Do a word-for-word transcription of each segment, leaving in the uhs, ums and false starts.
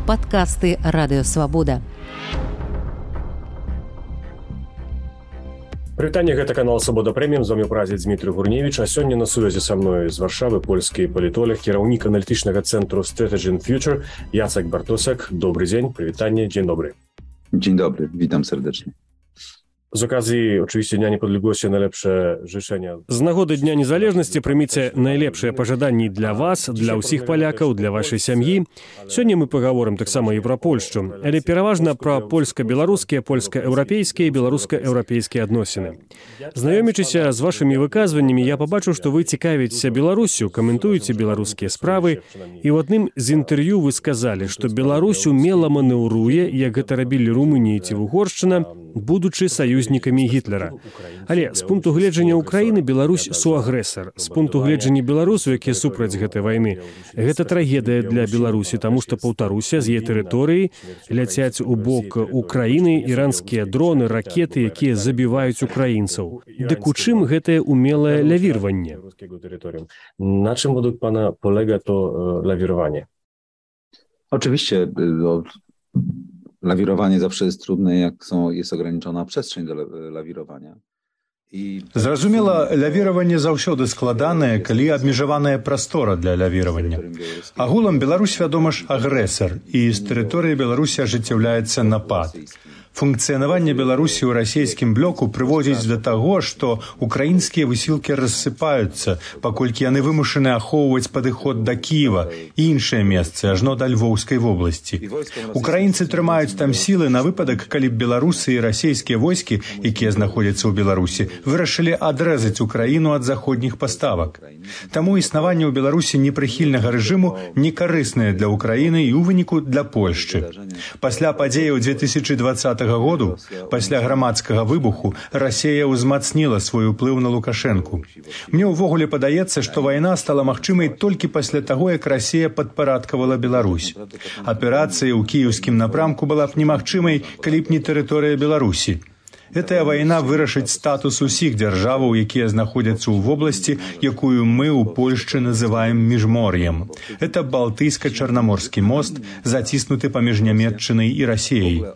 Падкасты Радыёвабода. Прывітанне, гэта канал Свабода Прэміум, з вамі прадзед Дмітрый Гурневіч, а сёння на сувязі са мной з Варшавы польскі палітолог, кіраўнік аналітычнага цэнтру Strategy and Future Jacek Bartosek. Dobry dzień, przywitanie, dzień dobry. Dzień dobry, witam serdecznie. Z okazji oczywiście Dnia Niepodległości najlepsze życzenia. Z nagody Dnia Niezależności прыміце найлепшыя пажаданні для вас, для ўсіх палякаў, для вашай сям'і. Сёння мы пагаворым таксама і пра Польшчу, але пераважна пра польска-беларускія, польска-еўрапейскія і беларуска-еўрапейскія адносіны. Знаёмячыся з вашымі выказваннямі, я пабачыў, што вы цікавіцеся Беларусю, каментуеце беларускія справы, і ў адным з інтэрв'ю вы сказалі, што Беларусь умела манеўруе, як гэта рабілі Румынія ці Угоршчына, будучы саюзнікамі Гітлера. Але з пункту гледжання Украіны Беларусь суагрэсар. З пункту гледжання беларусаў, якія супраць гэтай вайны, гэта трагедыя для Беларусі, таму што, паўтаруся, з яе тэрыторыі ляцяць у бок Украіны іранскія дроны, ракеты, якія забіваюць украінцаў. Дык у чым гэтае умелае лавірванне? Na czym według pana polega to lawirowanie? Oczywiście no, lawirowanie zawsze jest trudne, jak są, jest ograniczona przestrzeń do lawirowania. Зразумела, лавіраванне заўсёды складанае, калі абмежаваная прастора для лавіравання. Агулам Беларусь, вядома ж, агрэсар, і з тэрыторыі Беларусі ажыццяўляецца напад. Функцыянаванне Беларусі ў расійскім блоку прыводзіць да таго, што украінскія высілкі рассыпаюцца, паколькі яны вымушаны ахоўваць падыход да Кіева і іншыя месцы, ажно да Львоўскай вобласці. Украінцы трымаюць там сілы на выпадак, калі б беларусы і расійскія войскі, якія знаходзяцца ў Беларусі, вырашылі адрэзаць Украіну ад заходніх паставак. Таму існаванне ў Беларусі непрыхільнага рэжыму некарыснае для Украіны і ў выніку для Польшчы. Пасля падзеяў две тысячы дваццатага году, пасля грамадскага выбуху, Расія ўзмацніла свой уплыў на Лукашэнку. Мне ўвогуле падаецца, што вайна стала магчымай толькі пасля таго, як Расія падпарадкавала Беларусь. Аперацыя ў кіеўскім напрамку была б немагчымай, калі б не тэрыторыя Беларусі. Гэтая вайна вырашыць статус усіх дзяржаваў, якія знаходзяцца ў вобласці, якую мы ў Польшчы называем міжмор'ем. Это Балтыйска-Чарнаморскі мост, заціснуты паміж Нямецчынай і Расіяй.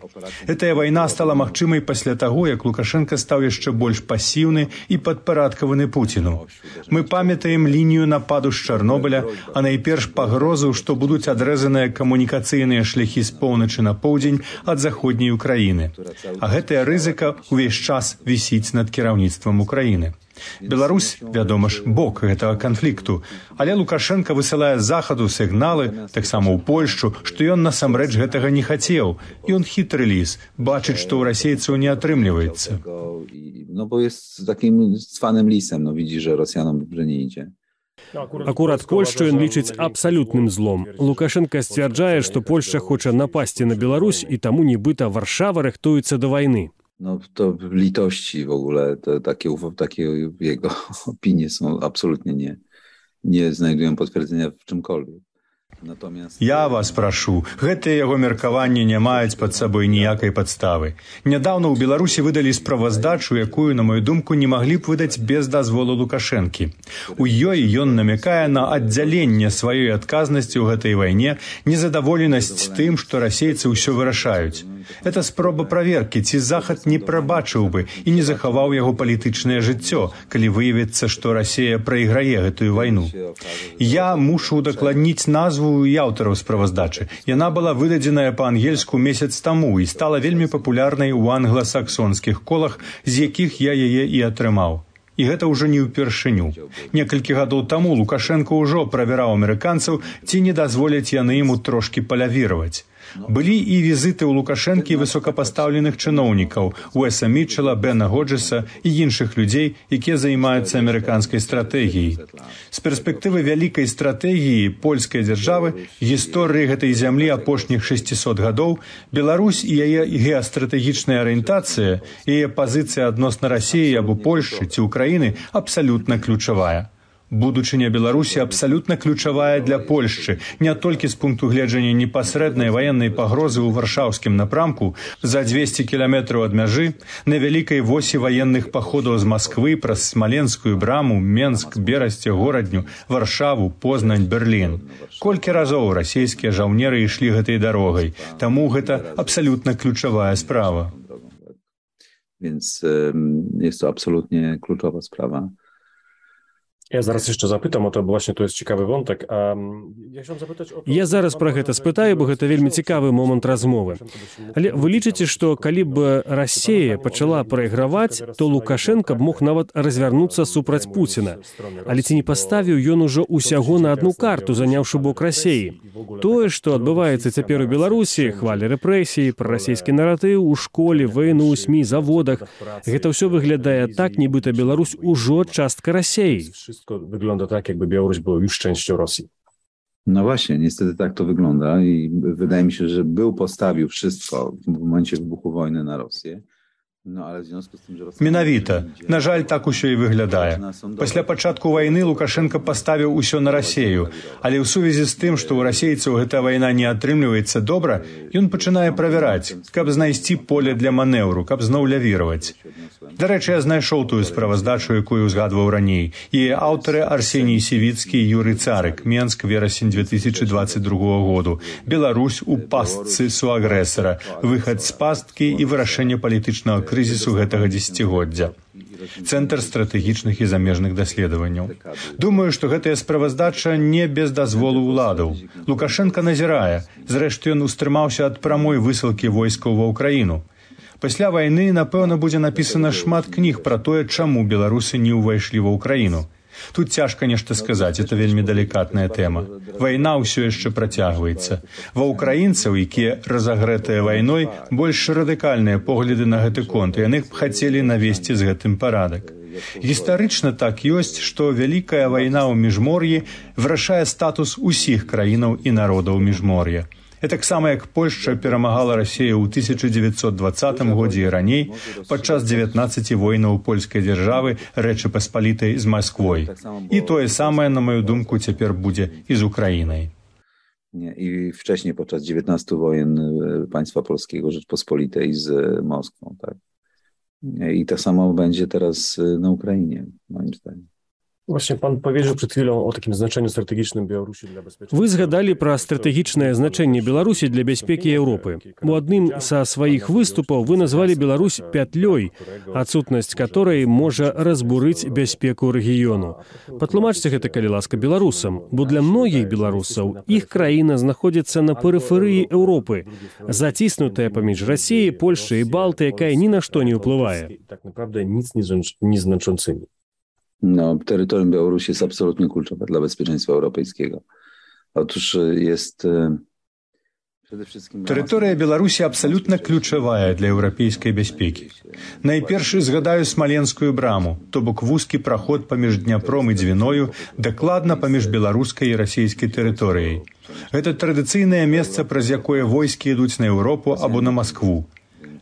Гэтая вайна стала магчымай пасля таго, як Лукашенка стаў яшчэ больш пасіўны і падпарадкаваны Пуціну. Мы памятаем лінію нападу з Чарнобыля, а найперш пагрозу, што будуць адрэзаныя камунікацыйныя шляхі з поўначы на поўдзень ад заходняй Украіны. А гэтая рызыка увесь час вісіць над кіраўніцтвам Украіны. Беларусь, вядома ж, бок гэтага канфлікту, але Лукашенка высылае з захаду сігналы, таксама ў Польшчу, што ён насамрэч гэтага не хацеў. Ён хітры ліс, бачыць, што ў расейцаў не атрымліваецца. No bo jest takim cwanym lisem, no widzi, że Rosjanom dobrze nie idzie. Акурат Польшчу ён лічыць абсалютным злом. Лукашенка сцвярджае, што Польшча хоча напасці на Беларусь, і таму нібыта Варшава рыхтуецца да вайны. No to litości w ogóle, to takie, takie jego opinie są absolutnie nie, nie znajdują potwierdzenia w czymkolwiek. Я вас прашу, гэтыя яго меркаванні не маюць пад сабой ніякай падставы. Нядаўна ў Беларусі выдалі справаздачу, якую, на мою думку, не маглі б выдаць без дазволу Лукашэнкі. У ёй ён намякае на аддзяленне сваёй адказнасці ў гэтай вайне, незадаволенасць тым, што расейцы ўсё вырашаюць. Это спроба праверкі, ці Захад не прабачыў бы і не захаваў яго палітычнае жыццё, калі выявіцца, што Расія прайграе гэтую вайну. Я мушу удакладніць назву і аўтараў справаздачы. Яна была выдадзеная па-ангельску месяц таму і стала вельмі папулярнай у англасаксонскіх колах, з якіх я яе і атрымаў. І гэта ўжо не ўпершыню. Некалькі гадоў таму Лукашенко ўжо правяраў амерыканцаў, ці не дазволяць яны яму трошкі палявіраваць. Былі і візіты ў Лукашэнкі высокапастаўленых чыноўнікаў, Уэса Мітчела, Бена Годжеса і іншых людзей, якія займаюцца амерыканскай стратэгіяй. З перспектывы вялікай стратэгіі польскай дзяржавы, гісторыі гэтай зямлі апошніх шэсцісот гадоў, Беларусь і яе геастратэгічная арыентацыя, яе пазіцыя адносна Расіі або Польшчы ці Украіны абсалютна ключавая. Будучыня Беларусі абсалютна ключавая для Польшчы, не толькі з пункту гледжання непасрэднай ваеннай пагрозы ў варшаўскім напрамку за дзвесце кіламетраў ад мяжы, на вялікай восі ваенных паходаў з Масквы праз Смаленскую браму, Менск, Берасце, Горадню, Варшаву, Познань, Берлін. Колькі разоў расійскія жаўнеры ішлі гэтай дарогай, таму гэта абсалютна ключавая справа. Więc jest to absolutnie kluczowa sprawa. Ja zaraz jeszcze zapytam o to, bo właśnie to jest ciekawy wątek. A ja chciałem zapytać o to... Я зараз пра гэта спытаю, бо гэта вельмі цікавы момант размовы. Але вы лічыце, што калі б Расія пачала прайграваць, то Лукашенка б мог нават развярнуцца супраць Пуціна. Але ці не паставіў ён ужо ўсяго на адну карту, заняўшы бок Расіі? Тое, што адбываецца цяпер у Беларусі, хвалі рэпрэсіі, прарасійскі наратыў у школе, вайну, СМІ, заводах, гэта ўсё выглядае так, нібыта Беларусь ужо частка Расіі. Wszystko wygląda tak, jakby Białoruś była już częścią Rosji. No właśnie, niestety tak to wygląda i wydaje mi się, że był postawił wszystko w momencie wybuchu wojny na Rosję. No, ale w związku z tym, że Rosja... Менавіта. На жаль, так усё і выглядае. Пасля пачатку вайны Лукашенка паставіў усё на Расію, але ў сувязі з тым, што ў расейцаў гэтая вайна не атрымліваецца добра, ён пачынае правяраць, каб знайсці поле для манеўру, каб зноў лявіраваць. Дарэчы, я знайшоў тую справаздачу, якую узгадваў раней. Яе аўтары Арсеній Сівіцкі і Юрый Царык, Менск, верасень две тысячи двадцать другого году. Беларусь у пастцы суагрэсара, выхад з пасткі і вырашэнне палітычнага крызісу гэтага дзесяцігоддзя. Цэнтр стратэгічных і замежных даследаванняў. Думаю, што гэтая справаздача не без дазволу ўладаў. Лукашенка назірае. Зрэшты, ён устрымаўся ад прамой высылкі войскаў ва ўкраіну. Пасля вайны, напэўна, будзе напісана шмат кніг пра тое, чаму беларусы не ўвайшлі ва ўкраіну. Тут цяжка нешта сказаць, это вельмі далікатная тэма. Вайна ўсё яшчэ працягваецца. Ва ўкраінцаў, якія разагрэтыя вайной, больш радыкальныя погляды на гэты конт, і яны б хацелі навесці з гэтым парадак. Гістарычна так ёсць, што вялікая вайна ў міжмор'і вырашае статус усіх краінаў і народаў міжмор'я. Гэтаксама як Польшча перамагала Расію ў тысяча дзевяцьсот дваццатым годзе і раней падчас дзевятнаццаці войнаў польскай дзяржавы Рэчы Паспалітай з Масквой. І тое самае, на маю думку, цяпер будзе і з Украінай. I wcześniej podczas dziewiętnastu wojen państwa polskiego Rzeczpospolitej z Moskwą, tak? I to samo będzie teraz na Ukrainie, moim zdaniem. Właśnie pan powiedział przed chwilą o takim znaczeniu strategicznym Białorusi dla bezpieczeństwa. Вы згадалі пра стратэгічнае значэнне Беларусі для бяспекі Еўропы. У адным са сваіх выступаў вы назвалі Беларусь пятлёй, адсутнасць которой можа разбурыць бяспеку рэгіёну. Патлумачце гэта, калі ласка, беларусам, бо для многіх беларусаў іх краіна знаходзіцца на перыферыі Еўропы, заціснутая паміж Расіяй, Польшчай і Балты, якая ні на што не ўплывае. Tak naprawdę nic nieznaczącymi. No, terytorium Białorusi jest absolutnie kluczowe dla bezpieczeństwa europejskiego. Otóż jest przede wszystkim... Тэрыторыя Беларусі абсалютна ключавая для еўрапейскай бяспекі. Найперш згадаю Смаленскую браму, то бок вузкі праход паміж Дняпром і Дзвіною, дакладна паміж беларускай і расійскай тэрыторыяй. Гэта традыцыйнае месца, праз якое войскі ідуць на Еўропу або на Маскву.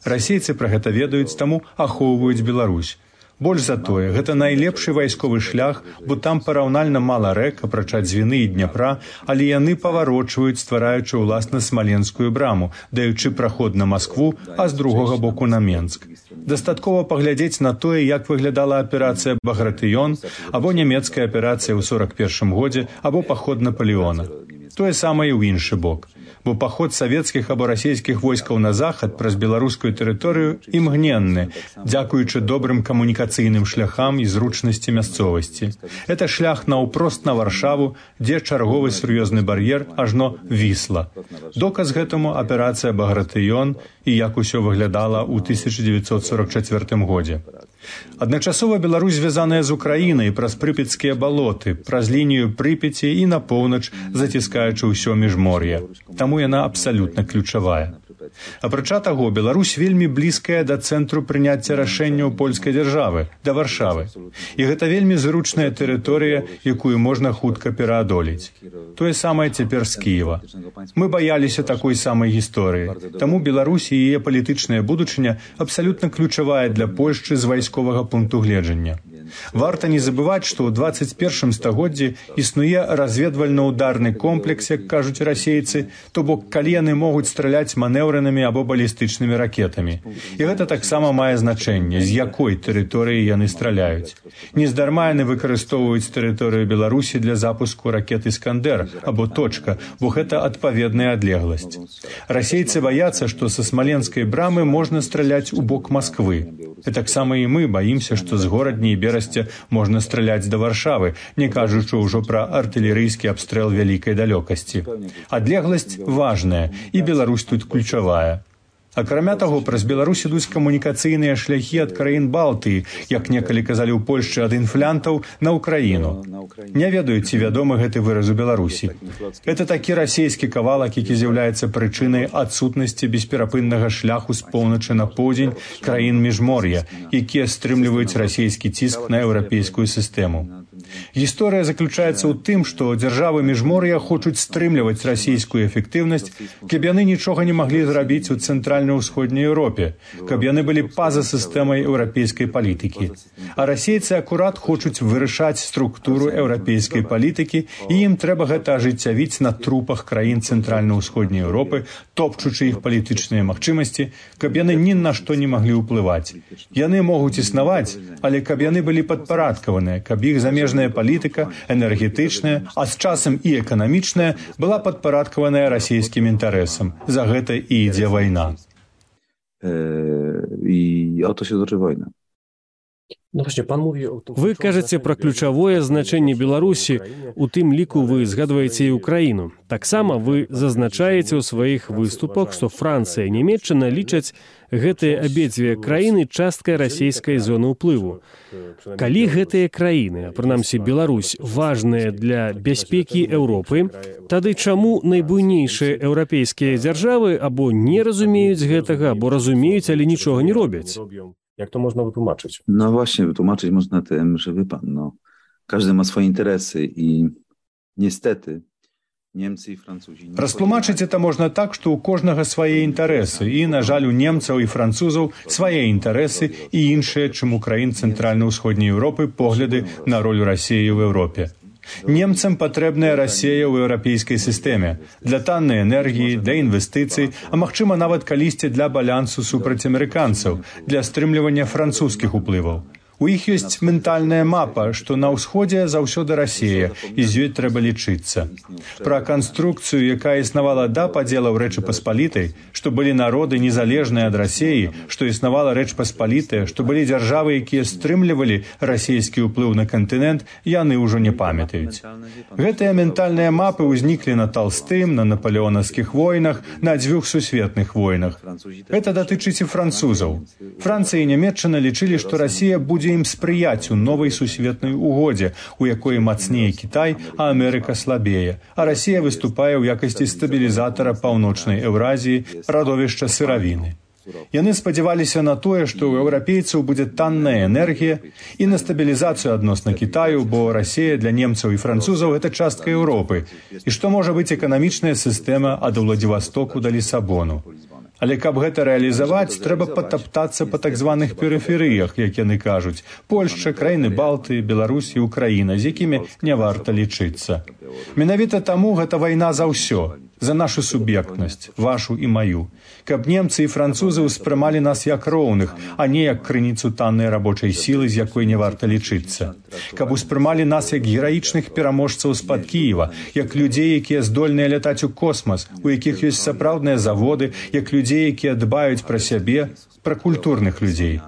Расейцы пра гэта ведаюць, таму ахоўваюць Беларусь. Больш за тое, гэта найлепшы вайсковы шлях, бо там параўнальна мала рэк, апрача Дзвіны і Дняпра, але яны паварочваюць, ствараючы ўласна Смаленскую браму, даючы праход на Маскву, а з другога боку на Менск. Дастаткова паглядзець на тое, як выглядала аперацыя «Багратыён» або нямецкая аперацыя ў сорак першым годзе, або паход Напалеона. Тое самае ў іншы бок. Бо паход савецкіх або расійскіх войскаў на захад праз беларускую тэрыторыю імгненны, дзякуючы добрым камунікацыйным шляхам і зручнасці мясцовасці. Это шлях наўпрост на Варшаву, дзе чарговы сур'ёзны бар'ер ажно Вісла. Доказ гэтаму аперацыя «Багратыён» і як усё выглядала ў тысяча дзевяцьсот сорак чацвёртым годзе. Адначасова Беларусь звязаная з Украінай праз прыпецкія балоты, праз лінію Прыпяці і на поўнач, заціскаючы ўсё міжмор'е. Таму яна абсалютна ключавая. Апрача таго, Беларусь вельмі блізкая да цэнтру прыняцця рашэнняў польскай дзяржавы, да Варшавы. І гэта вельмі зручная тэрыторыя, якую можна хутка пераадолець. Тое самае цяпер з Кіева. Мы баяліся такой самай гісторыі. Таму Беларусь і яе палітычная будучыня абсалютна ключавая для Польшчы з вайсковага пункту гледжання. Варта не забываць, што ў дваццаць першым стагоддзі існуе разведвальна-ударны комплекс, як кажуць расейцы, то бок калі яны могуць страляць манеўранымі або балістычнымі ракетамі. І гэта таксама мае значэнне, з якой тэрыторыі яны страляюць. Нездарма яны выкарыстоўваюць тэрыторыю Беларусі для запуску ракет «Іскандер» або «Точка», бо гэта адпаведная адлегласць. Расейцы баяцца, што са Смаленскай брамы можна страляць у бок Масквы. І таксама і мы баімся, што з горадні і Берасця можна страляць да Варшавы, не кажучы ўжо пра артылерыйскі абстрэл вялікай далёкасці. Адлегласць важная, і Беларусь тут ключавая. Акрамя таго, праз Беларусь ідуць камунікацыйныя шляхі ад краін Балтыі, як некалі казалі ў Польшчы ад інфлянтаў, на Ўкраіну. Не ведаю, ці вядомы гэты выраз у Беларусі. Гэта такі расейскі кавалак, які з'яўляецца прычынай адсутнасці бесперапыннага шляху з поўначы на поўдзень краін міжмор'я, якія стрымліваюць расійскі ціск на еўрапейскую сістэму. Гісторыя заключаецца ў тым, што дзяржавы міжмор'я хочуць стрымліваць расійскую эфектыўнасць, каб яны нічога не маглі зрабіць у цэнтральна-ўсходняй Еўропе, каб яны былі па-за сістэмай еўрапейскай палітыкі. А расейцы акурат хочуць вырашаць структуру еўрапейскай палітыкі, і ім трэба гэта ажыццявіць на трупах краін цэнтральна-ўсходняй Еўропы, топчучы іх палітычныя магчымасці, каб яны ні на што не маглі ўплываць. Яны могуць існаваць, але каб яны былі падпарадкаваныя, каб іх замежная палітыка, энергетычная, а з часам і эканамічная, была падпарадкаваная расійскім інтарэсам. За гэта і ідзе вайна. І o to się toczy wojna. Вы кажаце пра ключавое значэнне Беларусі, у тым ліку вы згадваеце і Украіну. Таксама вы зазначаеце ў сваіх выступах, што Францыя і Нямецчына лічаць гэтыя абедзве краіны часткай расійскай зоны ўплыву. Калі гэтыя краіны, а прынамсі Беларусь, важныя для бяспекі Еўропы, тады чаму найбуйнейшыя еўрапейскія дзяржавы або не разумеюць гэтага, або разумеюць, але нічога не робяць? Jak to można wytłumaczyć? No właśnie, wytłumaczyć można tym, że wie pan, no, każdy ma swoje interesy i niestety Niemcy i Francuzi... Растлумачыць это можна так, што ў кожнага свае інтарэсы, і, на жаль, у немцаў і французаў свае інтарэсы і іншыя, чым у краін цэнтральна-ўсходняй Еўропы, погляды на роль Расіі ў Еўропе. Немцам патрэбная Расія ў еўрапейскай сістэме для таннай энергіі, для інвестыцый, а магчыма нават калісьці для балансу супраць амерыканцаў, для стрымлівання французскіх уплываў. У іх ёсць ментальная мапа, што на ўсходзе заўсёды Расія, і з ёй трэба лічыцца. Пра канструкцыю, якая існавала да падзелаў Рэчы Паспалітай, што былі народы незалежныя ад Расіі, што існавала Рэч Паспалітая, што былі дзяржавы, якія стрымлівалі расійскі ўплыў на кантынент, яны ўжо не памятаюць. Гэтыя ментальныя мапы ўзніклі на Талстым, на напалеонаўскіх войнах, на дзвюх сусветных войнах. Гэта датычыць і французаў. Францыя і Нямецчына лічылі, што Расія будзе ім спрыяць у новай сусветнай угодзе, у якой мацнее Кітай, а Амерыка слабее, а Расія выступае ў якасці стабілізатара паўночнай Еўразіі, радовішча сыравіны. Яны спадзяваліся на тое, што ў еўрапейцаў будзе танная энергія і на стабілізацыю адносна Кітаю, бо Расія для немцаў і французаў гэта частка Еўропы, і што можа быць эканамічная сістэма ад Уладзівастоку да Лісабону. Але каб гэта рэалізаваць, трэба патаптацца па так званых перыферыях, як яны кажуць. Польшча, краіны Балтыі, Беларусь і Украіна, з якімі не варта лічыцца. Менавіта таму гэта вайна за ўсё, за нашу суб'ектнасць, вашу і маю. Каб немцы і французы ўспрымалі нас як роўных, а не як крыніцу таннай рабочай сілы, з якой не варта лічыцца. Каб успрымалі нас як гераічных пераможцаў з-пад Кіева, як людзей, якія здольныя лятаць у космас, у якіх ёсць сапраўдныя заводы, як людзей, якія дбаюць пра сябе, пра культурных людзей.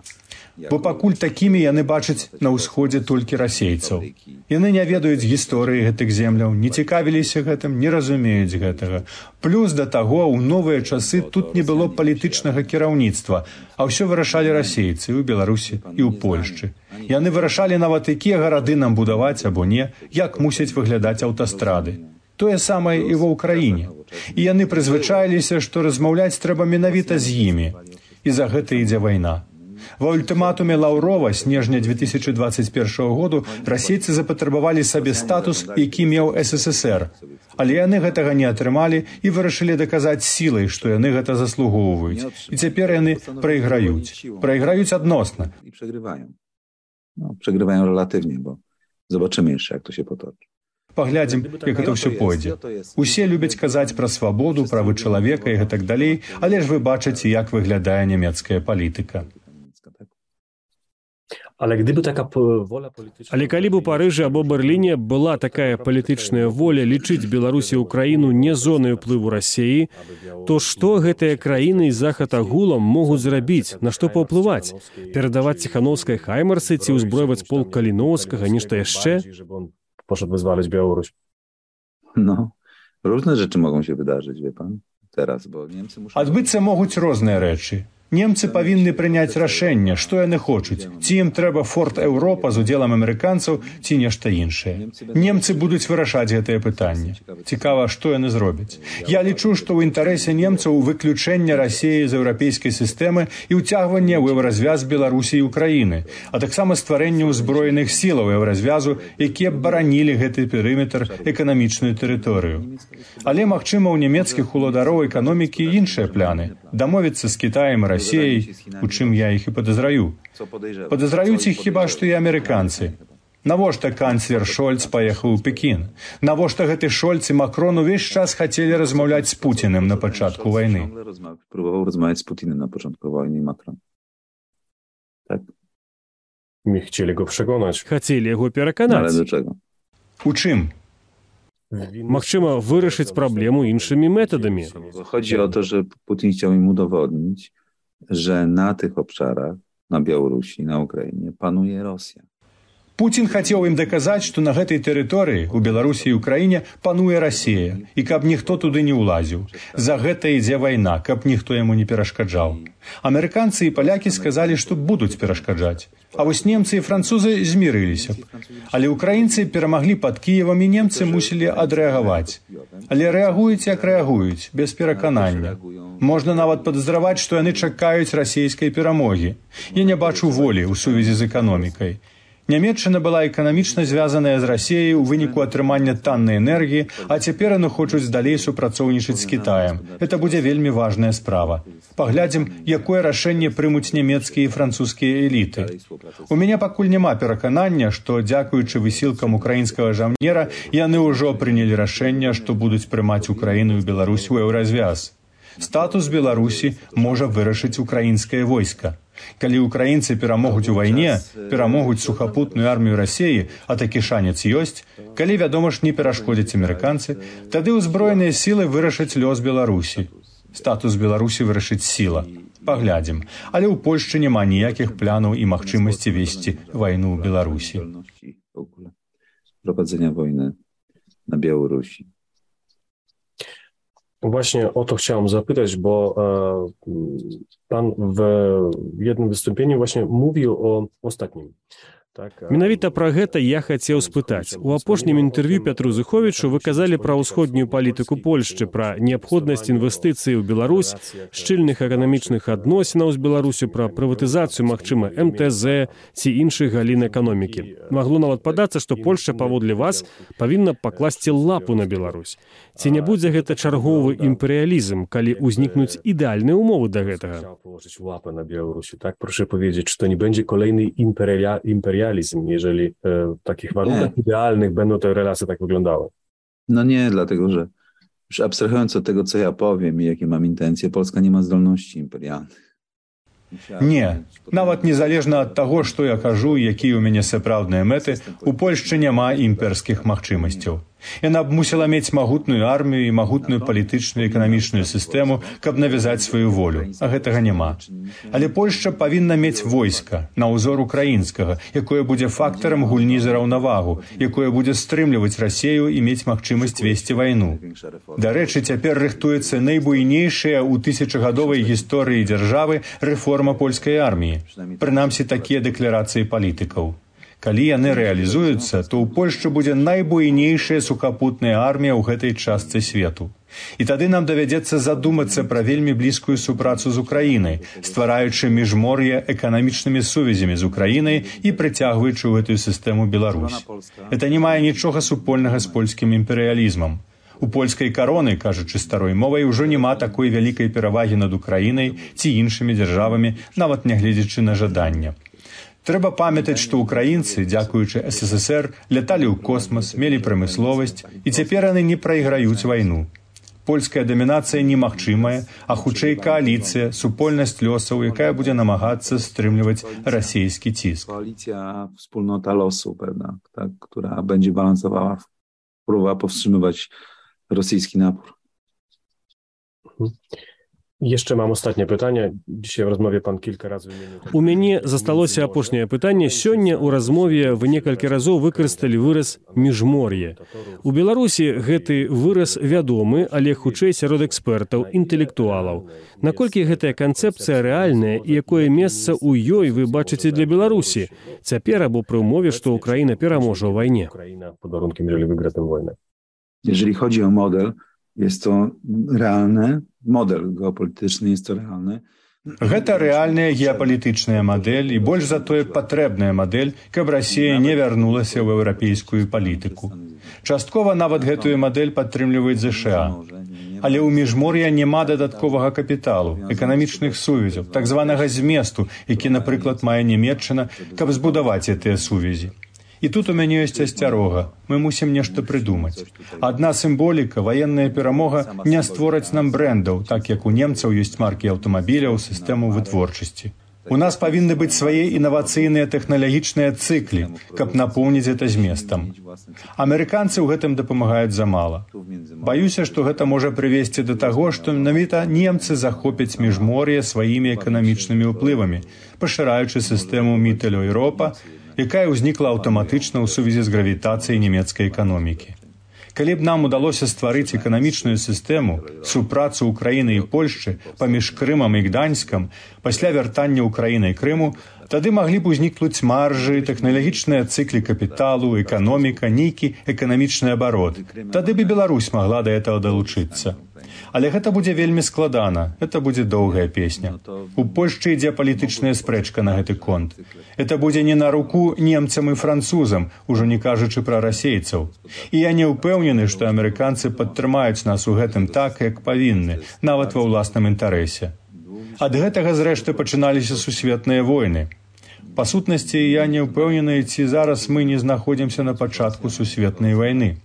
Бо пакуль такімі яны бачаць на ўсходзе толькі расейцаў. Яны не ведаюць гісторыі гэтых земляў, не цікавіліся гэтым, не разумеюць гэтага. Плюс да таго, у новыя часы тут не было палітычнага кіраўніцтва, а ўсё вырашалі расейцы ў Беларусі і ў Польшчы. Яны вырашалі нават, якія гарады нам будаваць або не, як мусяць выглядаць аўтастрады. Тое самае і ва ўкраіне. І яны прызвычаіліся, што размаўляць трэба менавіта з імі. І за гэта ідзе вайна. Ва ультыматуме Лаўрова снежня две тысячы двадцать першага году расейцы запатрабавалі сабе статус, які меў эс эс эс эр. Але яны гэтага не атрымалі і вырашылі даказаць сілай, што яны гэта заслугоўваюць. І цяпер яны прайграюць. Прайграюць адносна. No, przegrywają relatywnie, bo zobaczymy jeszcze, jak to się potoczy. Паглядзім, як гэта ўсё пойдзе. Усе любяць казаць пра свабоду, правы чалавека і гэтак далей, але ж вы бачыце, як выглядае нямецкая палітыка. Але gdyby taka wola polityczna... Але калі б у Парыжы або Берліне была такая палітычная воля лічыць Беларусі і Украіну не зонай уплыву Расіі, то што гэтыя краіны і Захад агулам могуць зрабіць, на што паўплываць? Перадаваць Ціхановскай хаймарсы ці ўзброіваць полк Каліноўскага, нешта яшчэ? Poszedł wyzwalać Białoruś. No, różne rzeczy mogą się wydarzyć, wie pan, teraz, bo Niemcy muszą... Адбыцца могуць розныя рэчы. Немцы павінны прыняць рашэнне, што яны хочуць. Ці ім трэба Форт Еўропа з удзелам амерыканцаў, ці нешта іншае. Немцы будуць вырашаць гэтае пытанне. Цікава, што яны зробяць. Я лічу, што ў інтарэсе немцаў выключэнне Расіі з еўрапейскай сістэмы і ўцягванне ў еўразвяз Беларусі і Украіны, а таксама стварэнне ўзброеных сілаў еўразвязу, якія б баранілі гэты перыметр, эканамічную тэрыторыю. Але, магчыма, у нямецкіх уладароў эканомікі іншыя пляны. Дамовіцца з Кітаем і Расіяй, у чым я іх і падазраю. Падазраюць іх хіба што і амерыканцы. Навошта канцлер Шольц паехаў у Пекін? Навошта гэты Шольц і Макрон увесь час хацелі размаўляць з Пуціным на пачатку вайны? Próbował rozmawiać z Putinem na początku wojny Macron. Tak? My chcieli go przekonać. Хацелі яго Ale пераканаць. do czego? У чым? Магчыма, вырашыць праблему іншымі метадамі. Chodzi o to, że Putin chciał im udowodnić, że na tych obszarach, na Białorusi, na Ukrainie, panuje Rosja. Пуцін хацеў ім даказаць, што на гэтай тэрыторыі, у Беларусі і Украіне, пануе Расія, і каб ніхто туды не ўлазіў. За гэта ідзе вайна, каб ніхто яму не перашкаджаў. Амерыканцы і палякі сказалі, што будуць перашкаджаць. А вось немцы і французы змірыліся б. Але украінцы перамаглі пад Кіевам, і немцы мусілі адрэагаваць. Але рэагуюць, як рэагуюць, без пераканання. Можна нават падазраваць, што яны чакаюць расійскай перамогі. Я не бачу волі ў сувязі з эканомікай. Нямецчына была эканамічна звязаная з Расіяй у выніку атрымання таннай энергіі, а цяпер яны хочуць далей супрацоўнічаць з Кітаем. Гэта будзе вельмі важная справа. Паглядзім, якое рашэнне прымуць нямецкія і французскія эліты. У мяне пакуль няма пераканання, што, дзякуючы высілкам украінскага жаўнера, яны ўжо прынялі рашэнне, што будуць прымаць Украіну і Беларусь у еўразвяз. Статус Беларусі можа вырашыць украінскае войска. Калі украінцы перамогуць у вайне, перамогуць сухапутную армію Расіі, а такі шанец ёсць, калі, вядома ж, не перашкодзяць амерыканцы, тады ўзброеныя сілы вырашаць лёс Беларусі. Статус Беларусі вырашыць сіла. Паглядзім. Але ў Польшчы няма ніякіх планаў і магчымасці весці вайну ў Беларусі. Prowadzenia wojny na Białorusi. Właśnie o to chciałem zapytać, bo e, pan w jednym wystąpieniu właśnie mówił o ostatnim. Менавіта пра гэта я хацеў спытаць. У апошнім інтэрв'ю Пятру Зыховічу вы казалі пра ўсходнюю палітыку Польшчы, пра неабходнасць інвестыцыі ў Беларусь, шчыльных эканамічных адносінаў з Беларусю, пра прыватызацыю, магчыма, эм тэ зэ ці іншых галін эканомікі. Магло нават падацца, што Польшча, паводле вас, павінна пакласці лапу на Беларусь. Ці не будзе гэта чарговы імперыялізм, калі ўзнікнуць ідэальныя умовы да гэтага? Łapę na Białorusi, tak? Proszę powiedzieć, czy to nie będzie kolejny imperia, imperializm, jeżeli e, w takich warunkach nie. idealnych będą te relacje tak wyglądały? No nie, dlatego że już abstrahując od tego, co ja powiem i jakie mam intencje, Polska nie ma zdolności imperialnych. Не, нават незалежна ад таго, што я кажу, якія ў мяне сапраўдныя мэты, у Польшчы няма імперскіх магчымасцяў. Яна б мусіла мець магутную армію і магутную палітычную і эканамічную сістэму, каб навязаць сваю волю, а гэтага няма. Але Польшча павінна мець войска, на ўзор украінскага, якое будзе фактарам гульні за раўнавагу, якое будзе стрымліваць Расію і мець магчымасць весці вайну. Дарэчы, цяпер рыхтуецца найбуйнейшая ў тысячагадовай гісторыі дзяржавы рэформа польскай арміі. Прынамсі, такія дэкларацыі палітыкаў. Калі яны рэалізуюцца, то ў Польшчы будзе найбуйнейшая сухапутная армія ў гэтай частцы свету. І тады нам давядзецца задумацца пра вельмі блізкую супрацу з Украінай, ствараючы міжмор'е эканамічнымі сувязямі з Украінай і прыцягваючы ў гэтую сістэму Беларусь. Гэта не мае нічога супольнага з польскім імперыялізмам. У польскай кароны, кажучы старой мовай, ужо няма такой вялікай перавагі над Украінай ці іншымі дзяржавамі, нават нягледзячы на жаданне. Трэба памятаць, што ўкраінцы, дзякуючы эс эс эс эр, ляталі ў космас, мелі прамысловасць, і цяпер яны не прайграюць вайну. Польская дамінацыя немагчымая, а хутчэй кааліцыя, супольнасць лёсаў, якая будзе намагацца стрымліваць расійскі ціск. Koalicja, wspólnota losu pewna, tak, która będzie balansowała, próbowała powstrzymywać rosyjski napór. Jeszcze mam ostatnie pytanie. Dzisiaj w rozmowie pan kilka razy wymienił... У мяне засталося апошняе пытанне. Сёння ў размове вы некалькі разоў выкарысталі выраз «міжмор'е». У Беларусі гэты выраз вядомы, але хутчэй сярод экспертаў, інтэлектуалаў. Наколькі гэтая канцэпцыя рэальная і якое месца ў ёй вы бачыце для Беларусі? Цяпер або пры ўмове, што Украіна пераможа ў вайне. Ukraina pod warunkiem, jeżeli wygra tę wojnę. Jeżeli chodzi o model, jest to realny model geopolityczny, jest to realny. Гэта рэальная геапалітычная мадэль і больш за тое патрэбная мадэль, каб Расія не вярнулася ў еўрапейскую палітыку. Часткова нават гэтую мадэль падтрымліваюць ЗША. Але ў міжмор'я няма дадатковага капіталу, эканамічных сувязяў, так званага зместу, які, напрыклад, мае Нямецчына, каб збудаваць гэтыя сувязі. І тут у мяне ёсць асцярога. Мы мусім нешта прыдумаць. Адна сімволіка, ваенная перамога не створаць нам брэндаў, так як у немцаў ёсць маркі аўтамабіляў, сістэму вытворчасці. У нас павінны быць свае інавацыйныя тэхналагічныя цыклі, каб напоўніць гэта зместам. Амерыканцы ў гэтым дапамагаюць замала. Баюся, што гэта можа прывесці да таго, што менавіта немцы захопяць міжмор'е сваімі эканамічнымі ўплывамі, пашыраючы сістэму Міттель-Еўропа, якая ўзнікла аўтаматычна ў сувязі з гравітацыяй нямецкай эканомікі. Калі б нам удалося стварыць эканамічную сістэму, супрацу Украіны і Польшчы паміж Крымам і Гданьскам, пасля вяртання Украіны і Крыму, тады маглі б узнікнуць маржы, тэхналагічныя цыклі капіталу, эканоміка, нейкі эканамічны абарот. Тады б і Беларусь магла да гэтага далучыцца. Але гэта будзе вельмі складана, гэта будзе доўгая песня. У Польшчы ідзе палітычная спрэчка на гэты конт. Это будзе не на руку немцам і французам, ужо не кажучы пра расейцаў. І я не ўпэўнены, што амерыканцы падтрымаюць нас у гэтым так, як павінны, нават ва ўласным інтарэсе. Ад гэтага, зрэшты, пачыналіся сусветныя войны. Па сутнасці, я не ўпэўнены, ці зараз мы не знаходзімся на пачатку сусветнай вайны.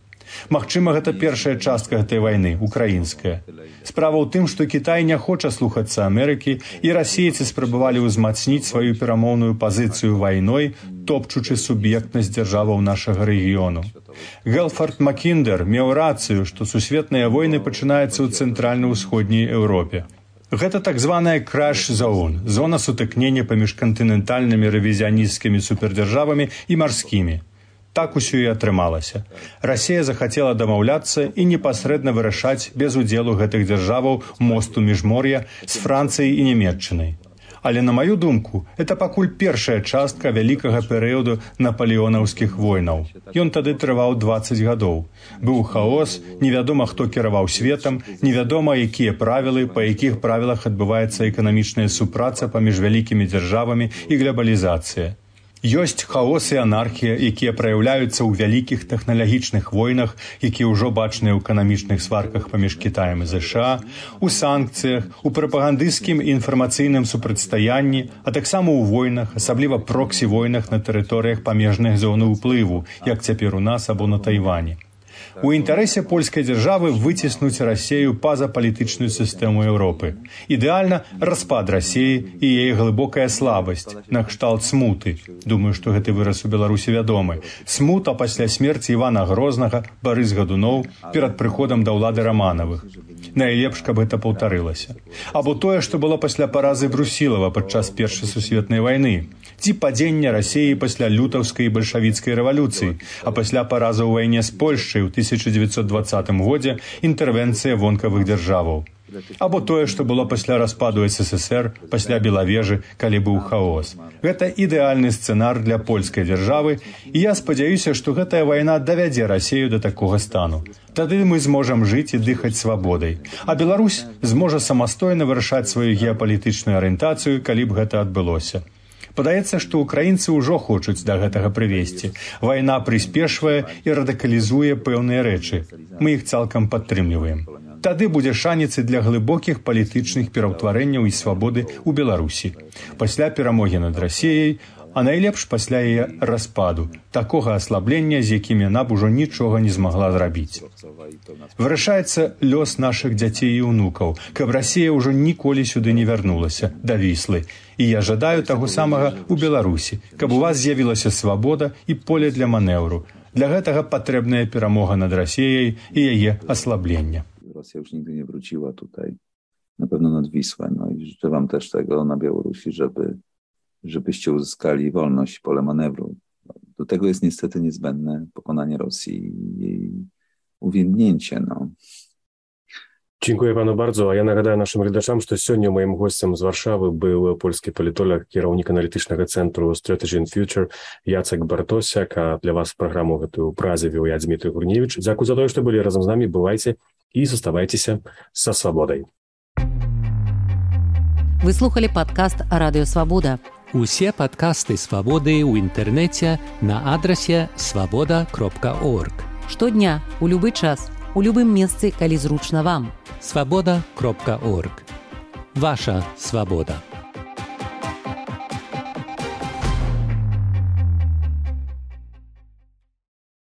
Магчыма, гэта першая частка гэтай вайны, украінская. Справа ў тым, што Кітай не хоча слухацца Амерыкі, і расейцы спрабавалі ўзмацніць сваю перамоўную пазіцыю вайной, топчучы суб'ектнасць дзяржаваў нашага рэгіёну. Гелфард Макіндер меў рацыю, што сусветныя войны пачынаюцца ў цэнтральна-ўсходняй Еўропе. Гэта так званая краш-зоун, зона сутыкнення паміж кантынентальнымі рэвізіянісцкімі супердзяржавамі і марскімі. Так усё і атрымалася. Расія захацела дамаўляцца і непасрэдна вырашаць без удзелу гэтых дзяржаваў мосту міжмор'я з Францыяй і Нямецчынай. Але, на маю думку, это пакуль першая частка вялікага перыяду напалеонаўскіх войнаў. Ён тады трываў дваццаць гадоў. Быў хаос, невядома, хто кіраваў светам, невядома, якія правілы, па якіх правілах адбываецца эканамічная супраца паміж вялікімі дзяржавамі і глобалізацыя. Ёсць хаос і анархія, якія праяўляюцца ў вялікіх тэхналагічных войнах, якія ўжо бачныя ў эканамічных сварках паміж Кітаем і ЗША, у санкцыях, у прапагандысцкім і інфармацыйным супрацьстаянні, а таксама ў войнах, асабліва проксі-войнах на тэрыторыях памежных зон уплыву, як цяпер у нас або на Тайвані. У інтарэсе польскай дзяржавы выціснуць Расею па-за палітычную сістэму Еўропы. Ідэальна распад Расеі і яе глыбокая слабасць, накшталт смуты. Думаю, што гэты выраз у Беларусі вядомы. Смута пасля смерці Івана Грознага, Барыс Гадуноў перад прыходам да ўлады Раманавых. Найлепш, каб гэта паўтарылася. Або тое, што было пасля паразы Брусілава падчас Першай сусветнай вайны. Ці падзення Расеі пасля лютаўскай і бальшавіцкай рэвалюцыі, а пасля паразы ў вайне з Польшчай у тысяча дзевяцьсот дваццатым годзе інтэрвенцыя вонкавых дзяржаваў. Або тое, што было пасля распаду эс эс эс эр, пасля Белавежы, калі быў хаос. Гэта ідэальны сцэнар для польскай дзяржавы, і я спадзяюся, што гэтая вайна давядзе Расею да такога стану. Тады мы зможам жыць і дыхаць свабодай. А Беларусь зможа самастойна вырашаць сваю геапалітычную арыентацыю, калі б гэта адбылося. Падаецца, што ўкраінцы ўжо хочуць да гэтага прывесці. Вайна прыспешвае і радыкалізуе пэўныя рэчы. Мы іх цалкам падтрымліваем. Тады будзе шанец і для глыбокіх палітычных пераўтварэнняў і свабоды ў Беларусі. Пасля перамогі над Расеяй а найлепш пасля яе распаду, такога аслаблення, з якім яна б ужо нічога не змагла зрабіць. Вырашаецца лёс нашых дзяцей і ўнукаў, каб Расія ўжо ніколі сюды не вярнулася, да Віслы. І я жадаю таго самага ў Беларусі, каб у вас з'явілася свабода і поле для манеўру. Для гэтага патрэбная перамога над Расіяй і яе аслаблення. Rosja już nigdy nie wróciła tutaj, na pewno nad Wisłę. No i życzę wam też tego na Białorusi, żeby, żebyście uzyskali wolność, pole manewru. Do tego jest niestety niezbędne pokonanie Rosji i jej uwiędnięcie. No. Dziękuję panu bardzo. A ja nagадаю naszym глядачам, што сёння моим гостем з Варшавы быў польскі палітолог, кіраўнік аналітычнага цэнтру Strategy and Future Jacek Bartosiak, а для вас праграму гэтую празе вёў я, Дмітрый Гурневіч. Дзякуй за тое, што былі разам з намі. Бывайце і заставайцеся са свабодай. Вы слухали падкаст Радыё Свабода. Усе падкасты Свабоды ў інтэрнэце на адрасе свабода кропка орг. Штодня, у любы час, у любым месцы, калі зручна вам. свабода кропка орг. Ваша свабода.